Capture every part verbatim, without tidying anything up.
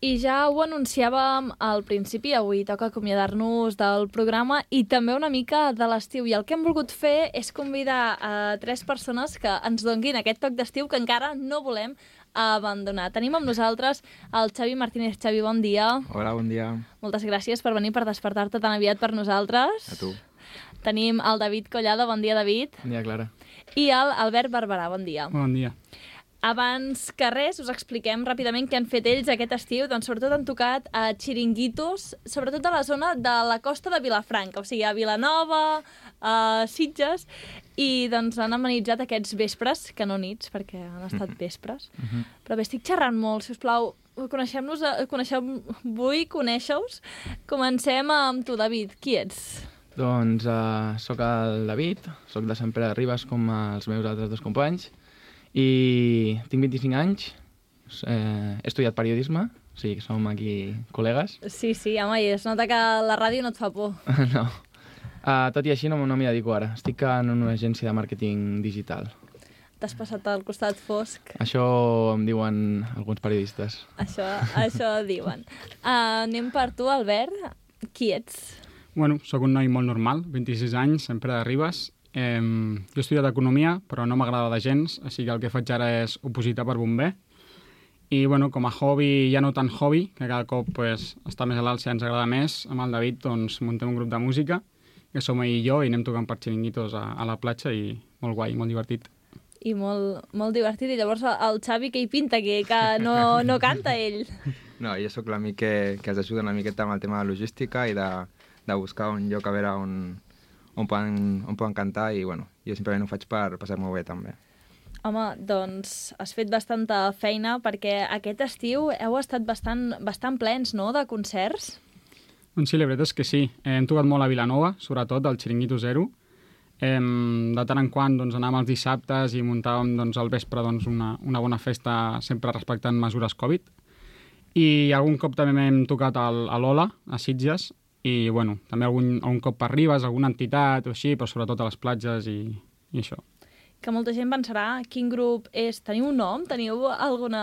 I ja ho anunciàvem al principi, avui toca acomiadar-nos del programa i també una mica de l'estiu. I el que hem volgut fer és convidar a tres persones que ens donguin aquest toc d'estiu que encara no volem abandonar. Tenim amb nosaltres el Xavi Martínez. Xavi, bon dia. Hola, bon dia. Moltes gràcies per venir, per despertar-te tan aviat per nosaltres. A tu. Tenim el David Collada. Bon dia, David. Bon dia, Clara. I el Albert Barberà. Bon dia. Bon dia. Abans que res, us expliquem ràpidament què han fet ells aquest estiu. Doncs sobretot han tocat a xiringuitos, sobretot a la zona de la costa de Vilafranca, o sigui, a Vilanova, a Sitges, i doncs han amenitzat aquests vespres, que no nits, perquè han estat vespres. Uh-huh. Però bé, estic xerrant molt, si us plau, coneixem-nos, coneixeu, vull conèixer-us. Comencem amb tu, David. Qui ets? Doncs uh, sóc el David, sóc de Sant Pere de Ribes com els meus altres dos companys, i tinc vint-i-cinc anys, eh, he estudiat periodisme, o sigui que som aquí col·legues. Sí, sí, home, i es nota que la ràdio no et fa por. No. Uh, tot i així no, no m'hi dedico ara, estic en una agència de màrqueting digital. T'has passat al costat fosc. Això em diuen alguns periodistes. Això, això diuen. Uh, anem per tu, Albert. Qui ets? Bueno, sóc un noi molt normal, vint-i-sis anys, sempre de Ribes. Eh, jo he estudiat Economia, però no m'agrada de gens, així que el que faig ara és opositar per bomber. I, bueno, com a hobby, ja no tan hobby, que cada cop pues, està més a l'alt si ens agrada més, amb el David doncs, muntem un grup de música, que som ell i jo, i anem tocant per xiringuitos a, a la platja, i molt guai, molt divertit. I molt, molt divertit. I llavors el Xavi, que hi pinta, que, que no, no canta ell? No, jo sóc l'amic que, que els ajuda una miqueta amb el tema de logística i de, de buscar un lloc a veure on, on, poden, on poden cantar, i bueno, jo simplement ho faig per passar-m'ho bé també. Home, doncs has fet bastanta feina, perquè aquest estiu heu estat bastant, bastant plens, no?, de concerts. Doncs sí, la veritat és que sí. Hem tocat molt a Vilanova, sobretot al Xiringuito Zero. Eh, de tant en quant doncs, anàvem els dissabtes i muntàvem doncs, al vespre doncs, una, una bona festa, sempre respectant mesures Covid. I algun cop també hem tocat al, a l'Ola, a Sitges, i bueno, també algun, algun cop per Ribes, alguna entitat o així, però sobretot a les platges i, i això. Que molta gent pensarà quin grup és. Teniu un nom? Teniu alguna,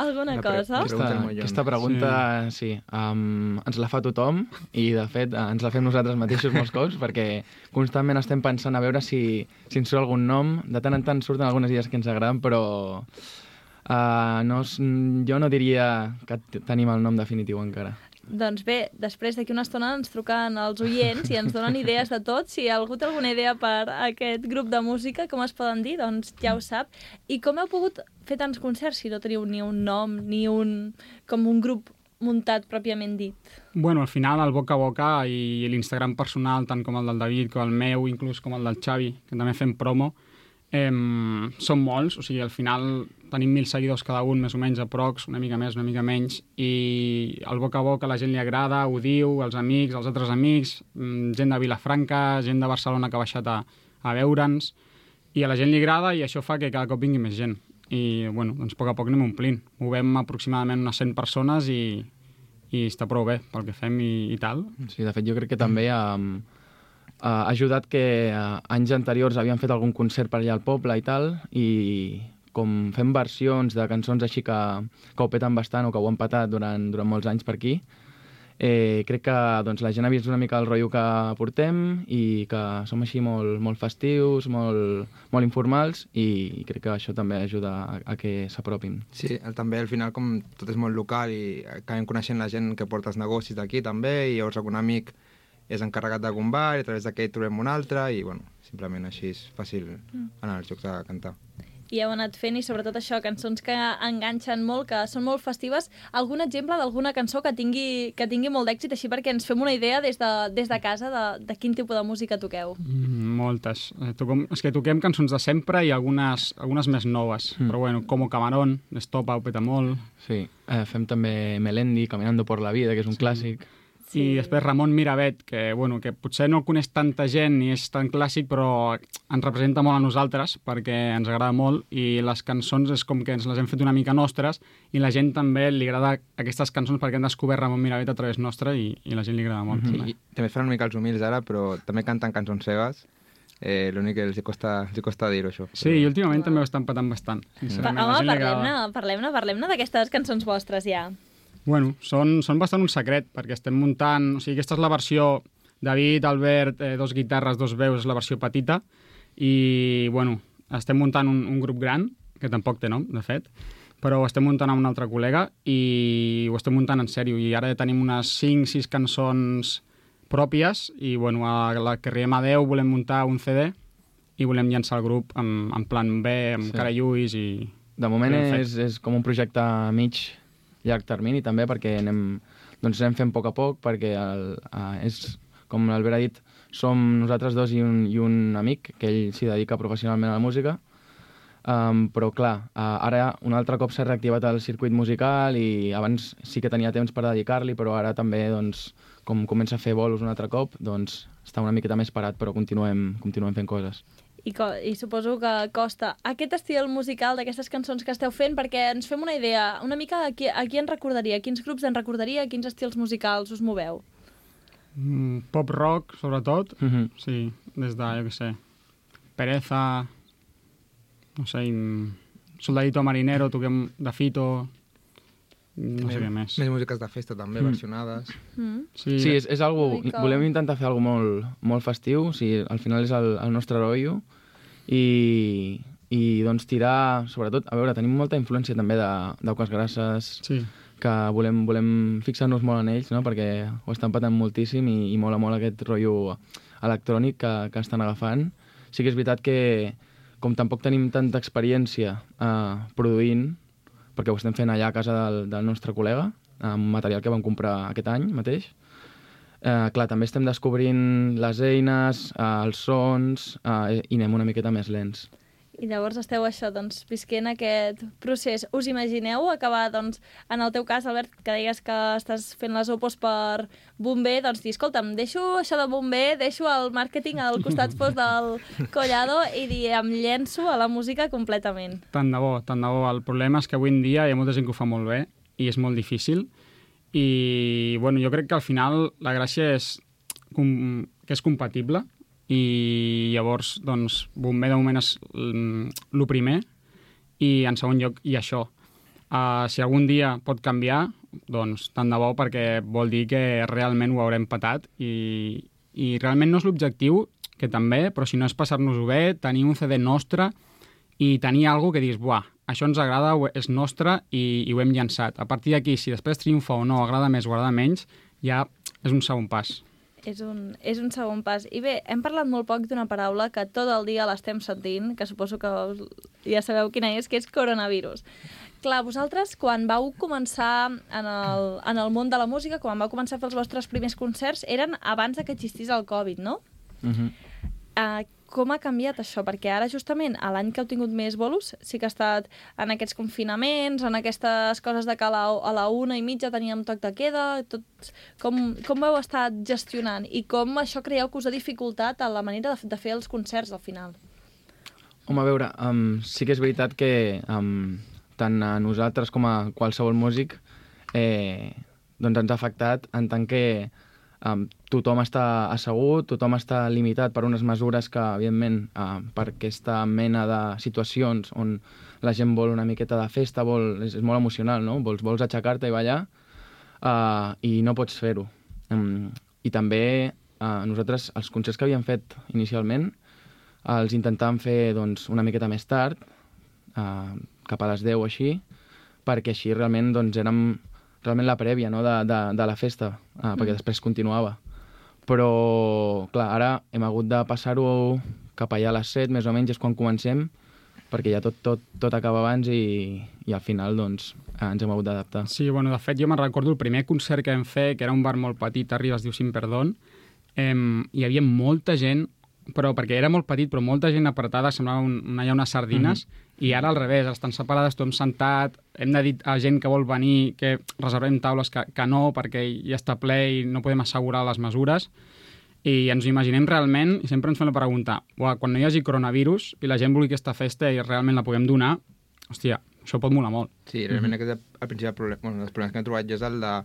alguna cosa? Aquesta, aquesta pregunta, sí, sí um, ens la fa tothom, i de fet ens la fem nosaltres mateixos molts cops, perquè constantment estem pensant a veure si, si ens surt algun nom. De tant en tant surten algunes idees que ens agraden, però uh, no, jo no diria que tenim el nom definitiu encara. Doncs bé, després d'aquí una estona ens truquen els oients i ens donen idees de tot. Si algú té alguna idea per aquest grup de música, com es poden dir, doncs ja ho sap. I com heu pogut fer tants concerts si no teniu ni un nom, ni un, com un grup muntat pròpiament dit? Bueno, al final el boca a boca i l'Instagram personal, tant com el del David, com el meu, inclús com el del Xavi, que també fem promo, eh, són molts, o sigui, al final tenim mil seguidors cada un, més o menys, aprox, una mica més, una mica menys, i el boca a boca a la gent li agrada, ho diu, els amics, els altres amics, gent de Vilafranca, gent de Barcelona que ha baixat a, a veure'ns, i a la gent li agrada i això fa que cada cop vingui més gent. I, bueno, doncs a poc a poc anem omplint. Movem aproximadament unes cent persones i, i està prou bé pel que fem i, i tal. Sí, de fet, jo crec que també um, ha ajudat que uh, anys anteriors havien fet algun concert per allà al poble i tal, i com fem versions de cançons així que, que ho peten bastant o que ho han patat durant, durant molts anys per aquí, eh, crec que doncs, la gent ha vist una mica el rotllo que portem i que som així molt, molt festius, molt, molt informals, i crec que això també ajuda a, a que s'apropin. Sí, també al final com tot és molt local i acabem coneixent la gent que porta els negocis d'aquí també, i llavors algun amic és encarregat d'algun bar i a través d'aquell trobem un altre, i bueno, simplement així és fàcil anar als jocs a cantar. I heu anat fent, i sobretot això, cançons que enganxen molt, que són molt festives. Algun exemple d'alguna cançó que tingui, que tingui molt d'èxit, així perquè ens fem una idea des de, des de casa de, de quin tipus de música toqueu? Mm, moltes. Eh, toquem, és que toquem cançons de sempre i algunes, algunes més noves. Mm. Però bueno, Como Camarón, Estopa, ho peta molt. Sí, eh, fem també Melendi, Caminando por la vida, que és un sí. clàssic. Sí. I després Ramon Miravet, que, bueno, que potser no el coneix tanta gent ni és tan clàssic, però ens representa molt a nosaltres perquè ens agrada molt, i les cançons és com que ens les hem fet una mica nostres, i la gent també li agrada aquestes cançons perquè han descobert Ramon Miravet a través nostra, i, i la gent li agrada molt. Mm-hmm. Sí, també es fan una mica els humils ara, però també canten cançons seves. Eh, L'únic que els costa, els costa dir-ho, això. Sí, però... i últimament wow. també ho estan patant bastant. Pa, home, parlem-ne, parlem-ne, parlem-ne d'aquestes cançons vostres, ja. Bueno, són, són bastant un secret, perquè estem muntant... O sigui, aquesta és la versió David, Albert, eh, dos guitarres, dos veus, és la versió petita, i, bueno, estem muntant un, un grup gran, que tampoc té nom, de fet, però ho estem muntant amb un altre col·lega i ho estem muntant en sèrio, i ara ja tenim unes cinc sis cançons pròpies, i, bueno, a la que riem a deu volem muntar un C D i volem llançar el grup en, en plan B, amb sí. Cara Lluís i... De moment és, és com un projecte a mig llarg termini també, perquè anem, doncs anem fent a poc a poc, perquè el, uh, és, com l'Albert ha dit, som nosaltres dos i un, i un amic, que ell s'hi dedica professionalment a la música, um, però clar, uh, ara un altre cop s'ha reactivat el circuit musical i abans sí que tenia temps per dedicar-li, però ara també, doncs, com comença a fer bolos un altre cop, doncs està una miqueta més parat, però continuem, continuem fent coses. I, I suposo que costa aquest estil musical d'aquestes cançons que esteu fent, perquè ens fem una idea, una mica a qui, a qui ens recordaria, a quins grups ens recordaria, a quins estils musicals us moveu? Mm, pop rock, sobretot. Mm-hmm. Sí, des de, jo què sé, Pereza, no sé, Soldadito Marinero, toquem de Fito... No sé què més. Més músiques de festa també, mm. versionades. Mm. Sí, sí és, és algo, mica... volem intentar fer algo molt, molt festiu, o sigui, al final és el, el nostre rotllo, i, i doncs tirar, sobretot, a veure, tenim molta influència també d'Auques Grasses, sí. que volem, volem fixar-nos molt en ells, no? Perquè ho estan patant moltíssim i, i mola molt aquest rotllo electrònic que, que estan agafant. Sí que és veritat que, com tampoc tenim tanta experiència eh, produint, perquè ho estem fent allà a casa del, del nostre col·lega, amb material que vam comprar aquest any mateix. Eh, clar, també estem descobrint les eines, eh, els sons, eh, i anem una miqueta més lents. I llavors esteu això, doncs, visquent aquest procés. Us imagineu acabar, doncs, en el teu cas, Albert, que deies que estàs fent les opos per Bomber, doncs dir, escolta'm, deixo això de Bomber, deixo el màrqueting al costat fos del Collado i dir, em llenço a la música completament. Tant de bo, tant de bo. El problema és que avui en dia hi ha molta gent que ho fa molt bé i és molt difícil. I, bueno, jo crec que al final la gràcia és que és compatible, i llavors, doncs, Bomber de moment és el primer, i en segon lloc hi ha això. Uh, si algun dia pot canviar, doncs tant de bo, perquè vol dir que realment ho haurem patat, i, i realment no és l'objectiu, que també, però si no és passar-nos-ho bé, tenir un C D nostre i tenir alguna que diguis, buah, això ens agrada, és nostre i, i ho hem llançat. A partir d'aquí, si després triomfa o no, agrada més o agrada menys, ja és un segon pas. És un, és un segon pas. I bé, hem parlat molt poc d'una paraula que tot el dia l'estem sentint, que suposo que ja sabeu quina és, que és coronavirus. Clar, vosaltres, quan vau començar en el, en el món de la música, quan vau començar a fer els vostres primers concerts, eren abans que existís el Covid, no? Mhm. Uh, com ha canviat això? Perquè ara, justament, a l'any que heu tingut més bolos, sí que ha estat en aquests confinaments, en aquestes coses de que a la, a la una i mitja teníem toc de queda, tot... com, com ho heu estat gestionant? I com això creieu que us ha dificultat a la manera de, de fer els concerts, al final? Home, a veure, um, sí que és veritat que um, tant a nosaltres com a qualsevol músic eh, doncs ens ha afectat en tant que Um, tothom està assegut, tothom està limitat per unes mesures que, evidentment, uh, per aquesta mena de situacions on la gent vol una miqueta de festa, vol, és, és molt emocional, no? Vols, vols aixecar-te i ballar uh, i no pots fer-ho. Um, I també uh, nosaltres, els concerts que havíem fet inicialment, uh, els intentàvem fer doncs, una miqueta més tard, uh, cap a les deu o així, perquè així realment doncs, érem realment la prèvia, no?, de, de, de la festa, eh, perquè mm. després continuava. Però, clar, ara hem hagut de passar-ho cap allà a les set, més o menys, és quan comencem, perquè ja tot, tot, tot acaba abans i, i al final, doncs, eh, ens hem hagut d'adaptar. Sí, bueno, de fet, jo me'n recordo el primer concert que vam fer, que era un bar molt petit, a Ribes, es diu Sin Perdón, eh, hi havia molta gent, però perquè era molt petit, però molta gent apretada, semblava un, allà unes sardines, mm-hmm. i ara al revés, estan separades, tothom sentat, hem de dir a gent que vol venir que reservem taules que, que no, perquè ja està ple i no podem assegurar les mesures, i ens ho imaginem realment, i sempre ens fem la pregunta, quan no hi hagi coronavirus i la gent vulgui aquesta festa i realment la puguem donar, hòstia, això pot molar molt. Sí, realment mm-hmm. aquest el principal problema, bueno, els problemes que hem trobat jo és el de,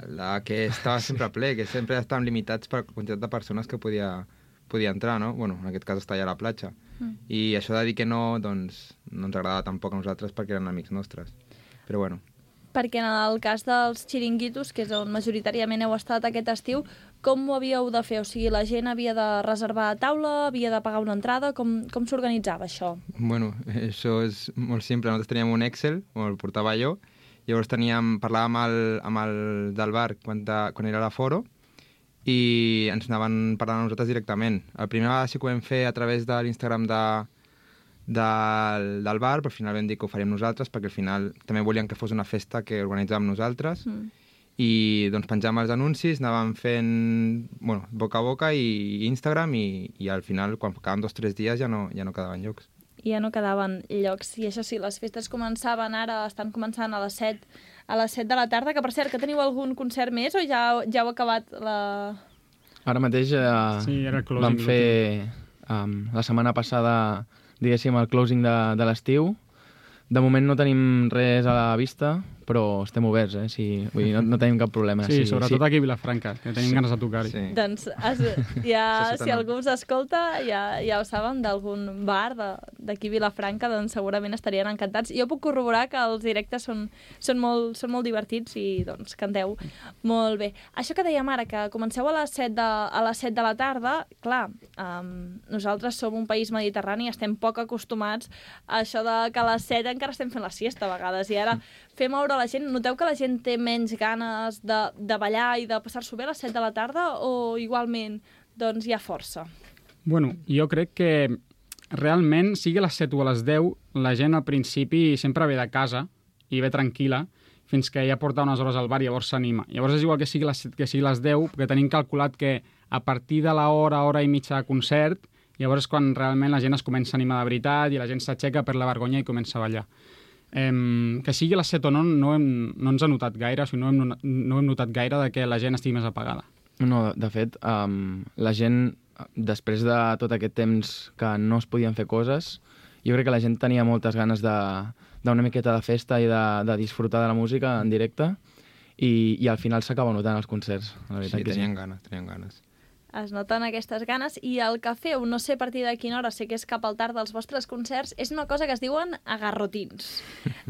el de que estava sempre ple, que sempre estàvem limitats per la quantitat de persones que podia... podia entrar, no? Bueno, en aquest cas està allà a la platja. Mm. I això de dir que no, doncs, no ens agradava tampoc a nosaltres perquè eren amics nostres. Però bueno. perquè en el cas dels xiringuitos, que és on majoritàriament heu estat aquest estiu, com ho havíeu de fer? O sigui, la gent havia de reservar taula, havia de pagar una entrada, com, com s'organitzava això? Bueno, això és molt simple. Nosaltres teníem un Excel, on el portava jo, llavors teníem, parlàvem amb el, amb el del bar quan, de, quan era a l'aforo i ens anaven parlant a nosaltres directament. El primer vegada sí que ho vam fer a través de l'Instagram de, del, del bar, però al final vam dir que ho faríem nosaltres perquè al final també volíem que fos una festa que organitzàvem nosaltres. Mm. I doncs penjàvem els anuncis, anàvem fent bueno, boca a boca i Instagram i, i al final, quan quedaven dos o tres dies, ja no, ja no quedaven llocs. I ja no quedaven llocs. I això sí, les festes començaven ara, estan començant a les set, a les set de la tarda, que per cert, que teniu algun concert més o ja, ja heu acabat la... Ara mateix eh, sí, era el vam fer um, la setmana passada, diguéssim, el closing de, de l'estiu. De moment no tenim res a la vista, però estem oberts, eh? Sí, vull dir, no, no tenim cap problema. Sí, sí sobretot sí. Aquí a Vilafranca, que tenim sí. ganes de tocar-hi. Sí. Doncs es, ja, si algú us escolta, ja, ja ho saben, d'algun bar d'aquí a Vilafranca, doncs segurament estarien encantats. Jo puc corroborar que els directes són, són, molt, són molt divertits i doncs canteu molt bé. Això que dèiem ara, que comenceu a les set de, a les set de la tarda, clar, um, nosaltres som un país mediterrani, estem poc acostumats a això de que a les set encara estem fent la siesta a vegades, i ara fer moure la gent. Noteu que la gent té menys ganes de, de ballar i de passar-s'ho bé a les set de la tarda o igualment doncs hi ha força? Bueno, jo crec que realment, sigui a les set o a les deu, la gent al principi sempre ve de casa i ve tranquil·la fins que ja porta unes hores al bar i llavors s'anima. Llavors és igual que sigui a les set que sigui a les deu, perquè tenim calculat que a partir de l'hora, hora i mitja de concert, llavors és quan realment la gent es comença a animar de veritat i la gent s'aixeca per la vergonya i comença a ballar. Um, que sigui a les set o no, no, hem, no ens ha notat gaire, o sigui, no, hem, no hem notat gaire de que la gent estigui més apagada. No, de fet, um, la gent, després de tot aquest temps que no es podien fer coses, jo crec que la gent tenia moltes ganes de, d'una miqueta de festa i de, de disfrutar de la música en directe i, i al final s'acaba notant els concerts. La veritat sí, que tenien sí. ganes, tenien ganes. Es noten aquestes ganes. I el que feu, no sé a partir de quina hora, sé que és cap al tard dels vostres concerts, és una cosa que es diuen agarrotins.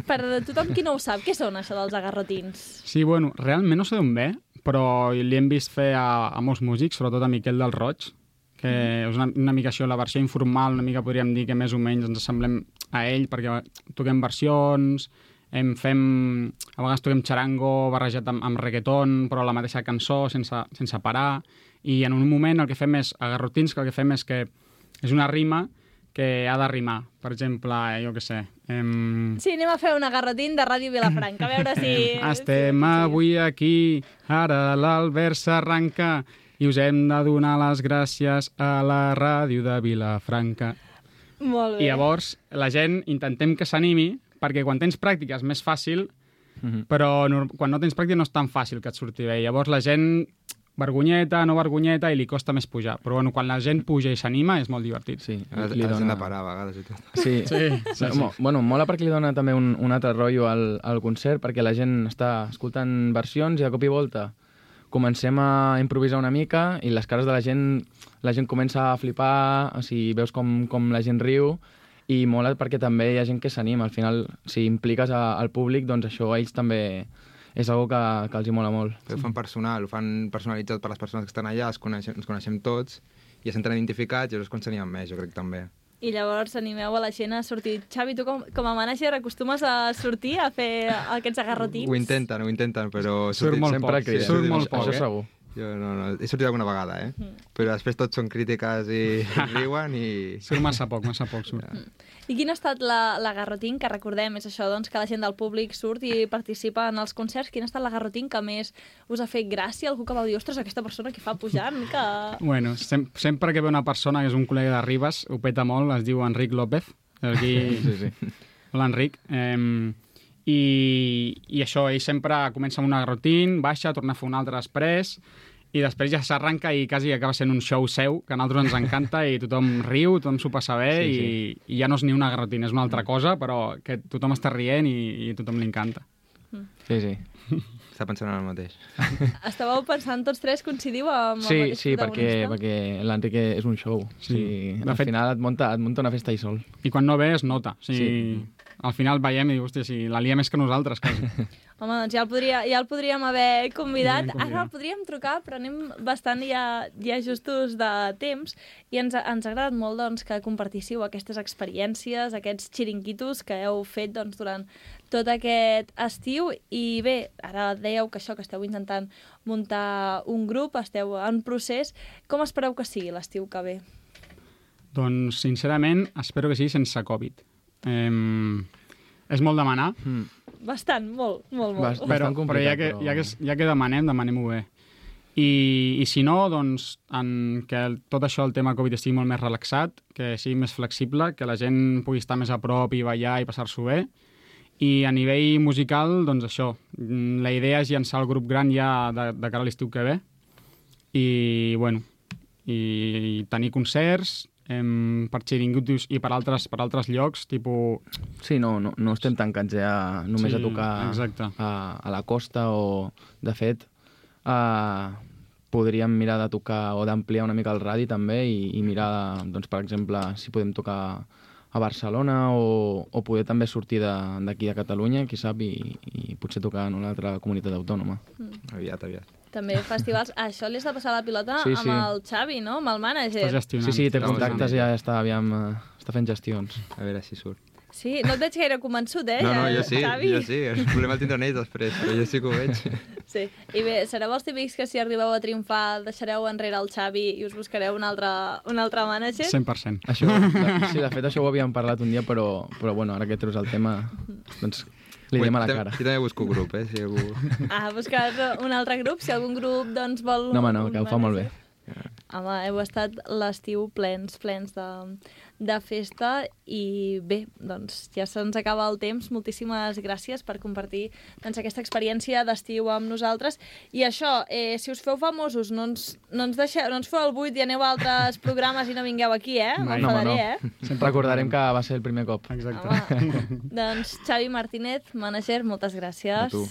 Per tothom qui no ho sap, què són això dels agarrotins? Sí, bueno, realment no sé d'on ve, però li hem vist fer a, a molts músics, sobretot a Miquel del Roig, que mm. és una, una mica això, la versió informal, una mica podríem dir que més o menys ens assemblem a ell, perquè toquem versions, em fem, a vegades toquem xarango barrejat amb, amb reggaeton, però la mateixa cançó, sense, sense parar. I en un moment el que fem és agarrotins, que el que fem és que és una rima que ha de rimar. Per exemple, jo què sé... Em... Sí, anem a fer un agarrotín de Ràdio Vilafranca, a veure si... Estem sí, avui aquí, ara l'Albert s'arranca i us hem de donar les gràcies a la Ràdio de Vilafranca. Molt bé. I llavors la gent intentem que s'animi, perquè quan tens pràctica és més fàcil, mm-hmm. però no, quan no tens pràctica no és tan fàcil que et surti bé. Llavors la gent... vergonyeta, no vergonyeta, i li costa més pujar. Però bueno, quan la gent puja i s'anima és molt divertit. Sí, li, li dona... de parar a vegades i tot. Sí, sí, sí, sí. Mo, bueno, mola perquè li dona també un, un altre rotllo al, al concert, perquè la gent està escoltant versions i de cop i volta comencem a improvisar una mica i les cares de la gent, la gent comença a flipar, o sigui, veus com, com la gent riu, i mola perquè també hi ha gent que s'anima. Al final, si impliques a, al públic, doncs això a ells també... és una que, que els hi mola molt. Ho fan personal, ho fan personalitzat per les persones que estan allà, es coneixem, ens coneixem tots, i ja s'entren identificats, i llavors quan s'animen més, jo crec també. I llavors animeu a la gent a sortir. Xavi, tu com, com a mànager acostumes a sortir a fer aquests agarrotins? Ho intenten, ho intenten, però... Surt molt sempre poc, sí, surt molt poc, això eh? segur. Jo no, no, he sortit alguna vegada, eh? Mm. Però després tots són crítiques i riuen i... Surt massa poc, massa poc surt. Mm. I quin ha estat l'agarrotín, que recordem, és això, doncs, que la gent del públic surt i participa en els concerts. Quin ha estat l'agarrotín que més us ha fet gràcia? Algú que va dir, ostres, aquesta persona que fa pujant, que... Bueno, sem sempre que ve una persona que és un col·lega de Ribes, ho peta molt, es diu Enric López. Aquí... sí, sí. Hola, Enric. Eh, i, I això, ell sempre comença amb un agarrotín, baixa, torna a fer un altre després... i després ja s'arranca i quasi acaba sent un show seu, que a nosaltres ens encanta i tothom riu, tothom s'ho passa bé, sí, sí. I, i ja no és ni una garrotina, és una altra cosa, però que tothom està rient i, i tothom li encanta. Sí, sí. Està pensant en el mateix. Estàveu pensant tots tres, coincidiu amb sí, el mateix sí, protagonista? Sí, perquè, perquè l'Enric és un show. Sí. Sí, al fet... final et munta, et munta una festa i sol. I quan no ve es nota. O sigui, sí. al final veiem i dius, hòstia, si la lia més que nosaltres, quasi. Home, doncs ja el, podria, ja el podríem haver convidat. Podríem convidar. Ara el podríem trucar, però anem bastant ja, ja justos de temps i ens, ha- ens ha agradat molt doncs, que compartíssiu aquestes experiències, aquests xiringuitos que heu fet doncs, durant tot aquest estiu. I bé, ara dèieu que això, que esteu intentant muntar un grup, esteu en procés. Com espereu que sigui l'estiu que ve? Doncs, sincerament, espero que sigui sense Covid. Eh, és molt demanar, Mm. Bastant, molt, molt, molt. Bast- però, Bastant però complicat, ja que, però- ja, que, ja que demanem, demanem-ho bé. I, I si no, doncs, en que el, tot això, el tema Covid, estigui molt més relaxat, que sigui més flexible, que la gent pugui estar més a prop i ballar i passar-s'ho bé. I a nivell musical, doncs això, mm, la idea és llançar el grup gran ja de, de cara a l'estiu que ve. I, bueno, i, i tenir concerts em, per xiringuitos i per altres, per altres llocs, tipus... Sí, no, no, no estem tancats ja només Sí, a tocar exacte. a, a la costa o, de fet, uh, podríem mirar de tocar o d'ampliar una mica el radi també i, i mirar, doncs, per exemple, si podem tocar a Barcelona o, o poder també sortir de- d'aquí de, de Catalunya, qui sap, i, i potser tocar en una altra comunitat autònoma. Aviat, aviat. També festivals. Això li has de passar la pilota Sí, amb sí. el Xavi, no? Amb el mànager. Estàs gestionant. Sí, sí, té Estamos contactes i en ja ello. està, aviam, eh, està fent gestions. A veure si surt. Sí, no et veig gaire convençut, eh? No, no, ja, jo sí, Xavi? jo sí. El problema el tindran ells després, però jo sí que ho veig. Sí. I bé, sereu els típics que si arribeu a triomfar deixareu enrere el Xavi i us buscareu un altre, un altre mànager? cent per cent. Això, de, sí, de fet, això ho havíem parlat un dia, però, però bueno, ara que treus el tema, doncs li diem a la Ui, cara. Jo també busco grup, eh, si algú... Ah, buscar un altre grup, si algun grup doncs vol... No, home, no, un que ho fa molt bé. mànager. Home, heu estat l'estiu plens, plens de, de festa i bé, doncs ja se'ns acaba el temps. Moltíssimes gràcies per compartir doncs, aquesta experiència d'estiu amb nosaltres. I això, eh, si us feu famosos, no ens, no ens, deixeu, no ens feu el buit i aneu a altres programes i no vingueu aquí, eh? Mai. No, home, M'enfadaré, no. eh? Recordarem que va ser el primer cop. Exacte. Home, doncs Xavi Martínez, mànager, moltes gràcies. A tu.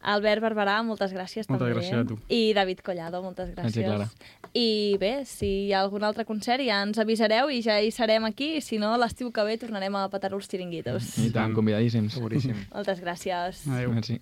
Albert Barberà, moltes gràcies Moltes també. gràcies a tu. I David Collado, moltes Gràcies, gràcies. Clara. I bé, si hi ha algun altre concert ja ens avisareu i ja hi serem aquí, i si no, l'estiu que ve tornarem a petar els xiringuitos. I tant, convidadíssims. Seguríssim. Moltes gràcies. Adéu. Merci.